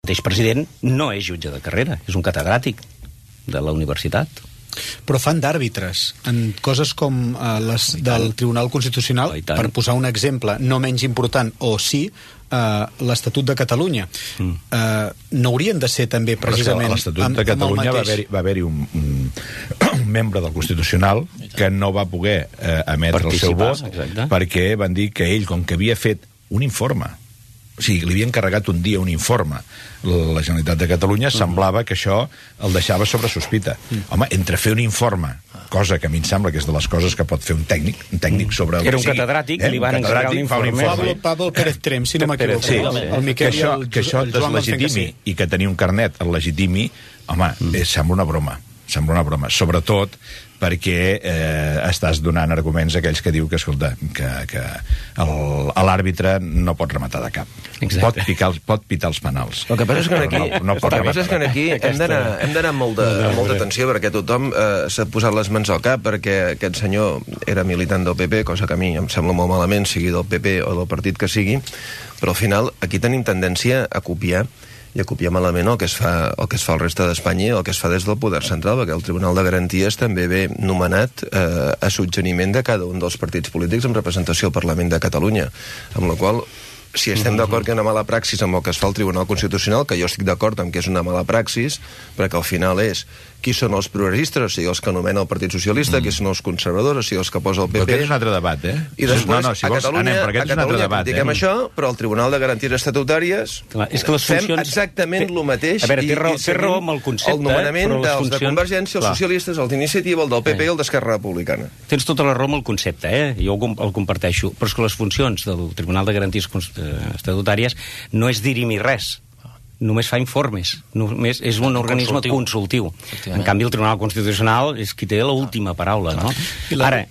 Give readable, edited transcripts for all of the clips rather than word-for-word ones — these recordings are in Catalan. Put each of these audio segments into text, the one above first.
mateix president no és jutge de carrera, és un catedràtic de la universitat. Però fan d'àrbitres en coses com les del Tribunal Constitucional, per posar un exemple no menys important, o sí, l'Estatut de Catalunya. No haurien de ser també precisament... A l'Estatut de Catalunya va haver-hi un membre del Constitucional que no va poder emetre el seu vot perquè van dir que ell, com que havia fet un informe, o sigui, li havia encarregat un dia un informe la Generalitat de Catalunya, semblava que això el deixava sobre sospita. Home, entre fer un informe, cosa que a mi em sembla que és de les coses que pot fer un tècnic sobre... Era un catedràtic, li van encarregar un informe. Pablo Pérez Trem, si no m'equivoco. Sí, que això et deslegitimi i que tenir un carnet el legitimi, home, sembla una broma. Sembla una broma, sobretot perquè estàs donant arguments a aquells que diu que, escolta, que l'àrbitre no pot rematar de cap. Pot pitar els penals. El que passa és que aquí hem d'anar amb molta atenció, perquè tothom s'ha posat les mans al cap, perquè aquest senyor era militant del PP, cosa que a mi em sembla molt malament, sigui del PP o del partit que sigui, però al final aquí tenim tendència a copiar i a copiar malament el que es fa al reste d'Espanya i el que es fa des del poder central, perquè el Tribunal de Garanties també ve nomenat a suggeriment de cada un dels partits polítics en representació al Parlament de Catalunya, amb la qual si estem d'acord que hi ha una mala praxis amb el que es fa al Tribunal Constitucional, que jo estic d'acord amb que és una mala praxis, perquè al final és qui són els progressistes, o sigui, els que anomena el Partit Socialista, qui són els conservadors, o sigui, els que posa el PP... Però aquest és un altre debat, I després, a Catalunya critiquem això, però al Tribunal de Garanties Estatutàries fem exactament el mateix. A veure, té raó amb el concepte, el nomenament dels de Convergència, els socialistes, el d'Iniciativa, el del PP i el d'Esquerra Republicana. Tens tota la raó amb el concepte, jo el comparteixo, però és que les funcions del Tribunal de Garanties Estatutàries no és dirimir res, només fa informes, només és un organisme consultiu. En canvi, el Tribunal Constitucional és qui té l'última paraula, no? Ara,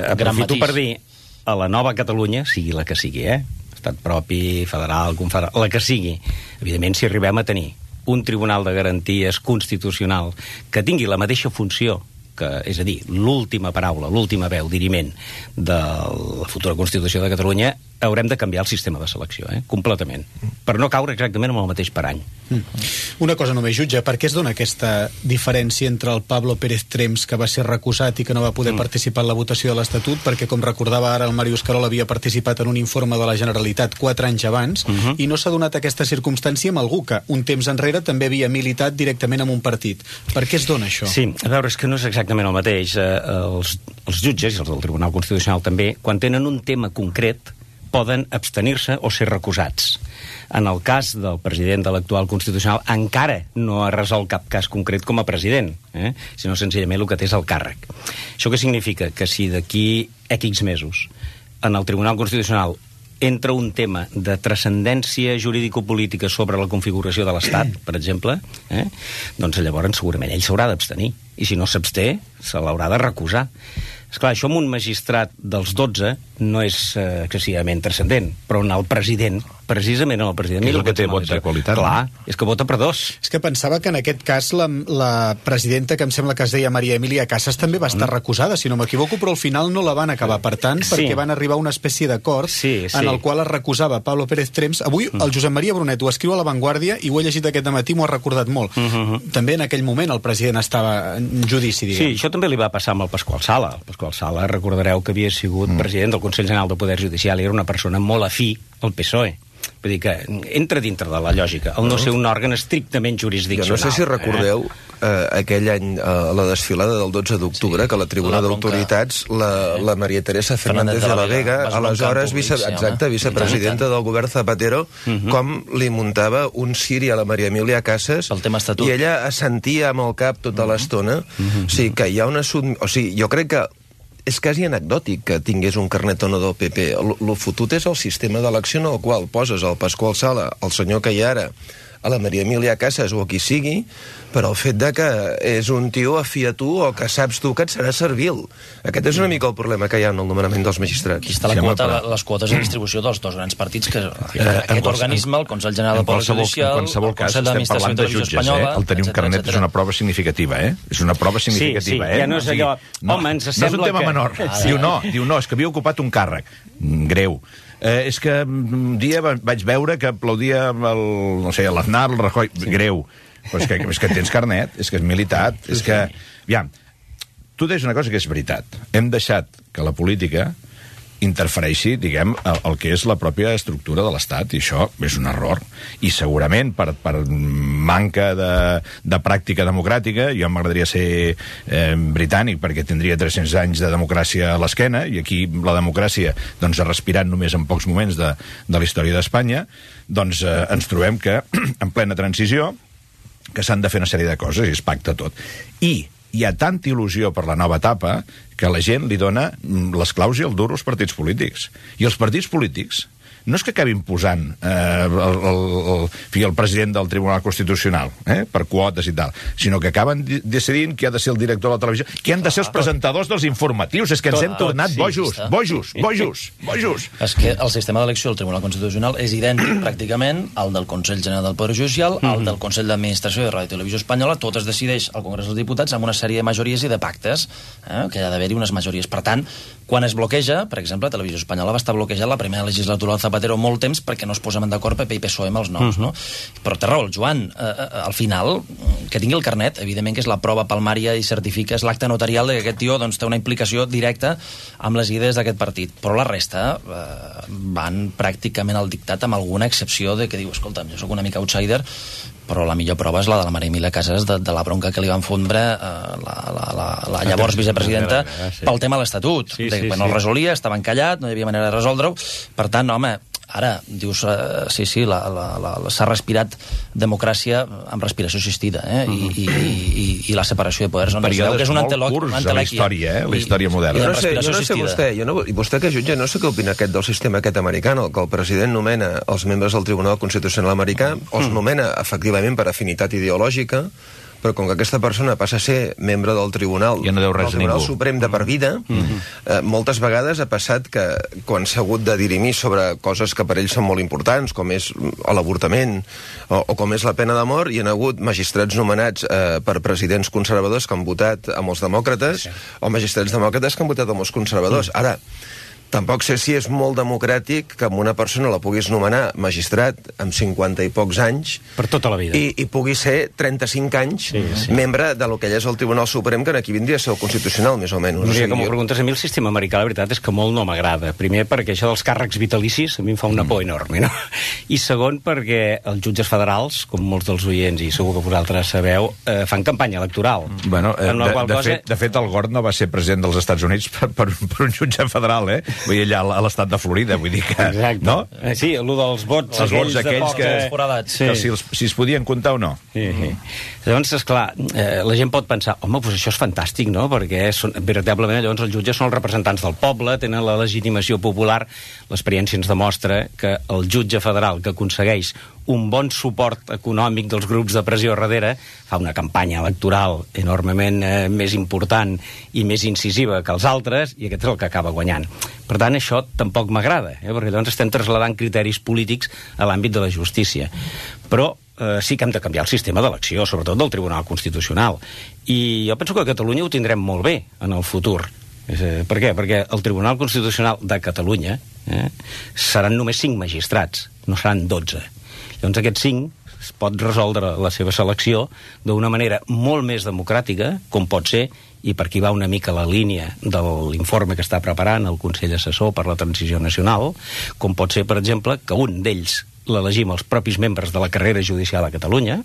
aprofito per dir a la nova Catalunya, sigui la que sigui, estat propi, federal, confederal, la que sigui, evidentment, si arribem a tenir un Tribunal de Garanties Constitucional que tingui la mateixa funció, és a dir, l'última paraula, l'última veu, diriment de la futura Constitució de Catalunya, haurem de canviar el sistema de selecció, completament, per no caure exactament amb el mateix parany. Una cosa només, jutge, per què es dona aquesta diferència entre el Pablo Pérez Trems, que va ser recusat i que no va poder participar en la votació de l'Estatut, perquè, com recordava ara, el Màrius Carol havia participat en un informe de la Generalitat 4 anys abans, i no s'ha donat aquesta circumstància amb algú que un temps enrere també havia militat directament en un partit. Per què es dona això? Sí, a veure, és que no és exactament el mateix. Els jutges, i els del Tribunal Constitucional també, quan tenen un tema concret, poden abstenir-se o ser recusats. En el cas del president de l'actual Constitucional encara no ha resolt cap cas concret com a president, sinó senzillament el que té és el càrrec. Això què significa? Que si d'aquí X mesos en el Tribunal Constitucional entra un tema de transcendència jurídico-política sobre la configuració de l'Estat, per exemple, doncs llavors segurament ell s'haurà d'abstenir. I si no s'absté, se l'haurà de recusar. Esclar, això amb un magistrat dels 12 no és excessivament transcendent, però en el president, precisament en el president... És el que té vot de qualitat. Clar, és que vota per dos. És que pensava que en aquest cas la presidenta, que em sembla que es deia Maria Emília Casas, també va estar recusada, si no m'equivoco, però al final no la van acabar, per tant, perquè van arribar a una espècie d'acord en el qual es recusava Pablo Pérez Trems. Avui el Josep Maria Brunet ho escriu a La Vanguardia i ho he llegit aquest dematí, m'ho ha recordat molt. També en aquell moment el president estava en judici, diguem. Sí, això també li va passar amb el Pasqual Sala. El Pasqual Sala, recordareu que havia sigut president del Consell General del Poder Judicial i era una persona molt afí al PSOE. Vull dir que entra dintre de la lògica, el no ser un òrgan estrictament jurisdiccional. Jo no sé si recordeu aquell any, la desfilada del 12 d'octubre, que la tribuna d'autoritats, la Maria Teresa Fernández de la Vega, aleshores vicepresidenta del govern Zapatero, com li muntava un ciri a la Maria Emília Casas, i ella assentia amb el cap tota l'estona. O sigui, que hi ha una... O sigui, jo crec que és quasi anecdòtic que tingués un carnet o no del PP. Lo fotut és el sistema d'elecció en el qual poses el Pasqual Sala, el senyor que hi ha ara, a la Maria Emília Casas o a qui sigui, però el fet de que és un tio afí a tu o que saps tu que et serà servil. Aquest és una mica el problema que hi ha en el nomenament dels magistrats. Aquí està les quotes de distribució dels dos grans partits, que aquest organisme, el Consell General del Poder Judicial, en qualsebol cas, estem parlant de jutges, el tenir un carnet és una prova significativa, És una prova significativa, ja no és allò... Home, ens sembla que... No és un tema menor. Diu, no, és que havia ocupat un càrrec greu. és que un dia vaig veure que aplaudia l'Aznar, el Rajoy... Greu. Però és que tens carnet, és que és militat, és que... Aviam, tu deies una cosa que és veritat. Hem deixat que la política interfereixi, diguem, el que és la pròpia estructura de l'Estat, i això és un error. I segurament, per manca de pràctica democràtica, jo m'agradaria ser britànic, perquè tindria 300 anys de democràcia a l'esquena, i aquí la democràcia doncs, ha respirat només en pocs moments de la història d'Espanya, doncs ens trobem que, en plena transició, que s'han de fer una sèrie de coses, i es pacta tot. I hi ha tanta il·lusió per la nova etapa que la gent li dona les claus i el duro als partits polítics. I els partits polítics no és que acabin posant el president del Tribunal Constitucional per quotes i tal, sinó que acaben decidint qui ha de ser el director de la televisió, qui han de ser els presentadors dels informatius. És que ens hem tornat bojos. És que el sistema d'elecció del Tribunal Constitucional és idèntic pràcticament al del Consell General del Poder Judicial, al del Consell d'Administració de Ràdio i Televisió Espanyola. Tot es decideix al Congrés dels Diputats amb una sèrie de majories i de pactes, que hi ha d'haver-hi unes majories. Per tant, quan es bloqueja, per exemple, Televisió Espanyola va estar bloquejat la primera legislatura del Zapatero molt temps perquè no es posaven d'acord PP i PSOE amb els noms, no? Però té raó el Joan, al final, que tingui el carnet, evidentment que és la prova palmària i certifica, és l'acte notarial de que aquest tio doncs, té una implicació directa amb les idees d'aquest partit. Però la resta van pràcticament al dictat, amb alguna excepció de que diu, escolta'm, jo sóc una mica outsider, però la millor prova és la de la Maria Emilia Casas de la bronca que li van fondre la llavors vicepresidenta pel tema de l'Estatut. Quan el resolia, estava encallat, no hi havia manera de resoldre-ho. Per tant, home, ara, dius, sí, s'ha respirat democràcia amb respiració assistida, i la separació de poders. Períodes molt curts a la història moderna. Jo no sé vostè que jutja, no sé què opina aquest del sistema aquest americà, que el president nomena els membres del Tribunal Constitucional americà, els nomena efectivament per afinitat ideològica, però com que aquesta persona passa a ser membre del Tribunal, Suprem de per vida, moltes vegades ha passat que quan s'ha hagut de dirimir sobre coses que per ells són molt importants, com és l'avortament o com és la pena de mort, hi ha hagut magistrats nomenats per presidents conservadors que han votat amb els demòcrates, o magistrats demòcrates que han votat amb els conservadors. Ara, tampoc sé si és molt democràtic que amb una persona la puguis nomenar magistrat amb 50 i pocs anys per tota la vida i pugui ser 35 anys membre de lo que és el Tribunal Suprem, que aquí vindria a ser el Constitucional, més o menys. No sé, com ho preguntes, a mi el sistema americà, la veritat és que molt no m'agrada. Primer, perquè això dels càrrecs vitalicis a mi em fa una por enorme, no? I segon, perquè els jutges federals, com molts dels oients, i segur que vosaltres sabeu, fan campanya electoral. Bueno, de fet, el Gore no va ser president dels Estats Units per un jutge federal, Vull dir, allà a l'estat de Florida, vull dir que... Exacte. No? Sí, allò dels vots... Els vots aquells que si es podien comptar o no. Llavors, esclar, la gent pot pensar, home, doncs això és fantàstic, no? Perquè veritablement llavors els jutges són els representants del poble, tenen la legitimació popular. L'experiència ens demostra que el jutge federal que aconsegueix un bon suport econòmic dels grups de pressió darrere fa una campanya electoral enormement més important i més incisiva que els altres, i aquest és el que acaba guanyant. Per tant, això tampoc m'agrada, perquè llavors estem trasladant criteris polítics a l'àmbit de la justícia. Però sí que hem de canviar el sistema d'elecció, sobretot del Tribunal Constitucional. I jo penso que a Catalunya ho tindrem molt bé en el futur. Per què? Perquè el Tribunal Constitucional de Catalunya seran només 5 magistrats, no seran 12. Llavors aquests 5 es pot resoldre la seva selecció d'una manera molt més democràtica, com pot ser, i per aquí va una mica la línia de l'informe que està preparant el Consell Assessor per la Transició Nacional, com pot ser, per exemple, que un d'ells l'elegim els propis membres de la carrera judicial a Catalunya,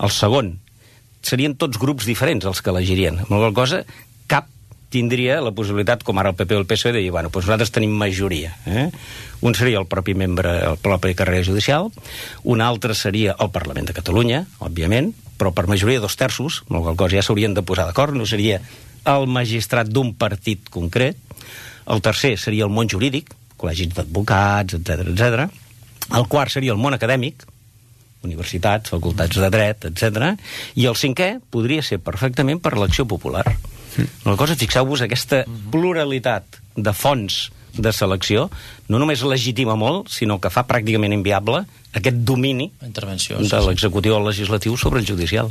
el segon serien tots grups diferents els que elegirien, amb la qual cosa cap tindria la possibilitat, com ara el PP o el PSOE, de dir, bueno, doncs nosaltres tenim majoria. Un seria el propi membre, el propi carrera judicial, un altre seria el Parlament de Catalunya, òbviament, però per majoria 2/3, amb la qual cosa ja s'haurien de posar d'acord, no seria el magistrat d'un partit concret. El tercer seria el món jurídic, col·legis d'advocats, etc. El quart seria el món acadèmic, universitats, facultats de dret, etc. I el cinquè podria ser perfectament per elecció popular. Una cosa, fixeu-vos, aquesta pluralitat de fonts de selecció no només legitima molt, sinó que fa pràcticament inviable aquest domini de l'executiu o el legislatiu sobre el judicial.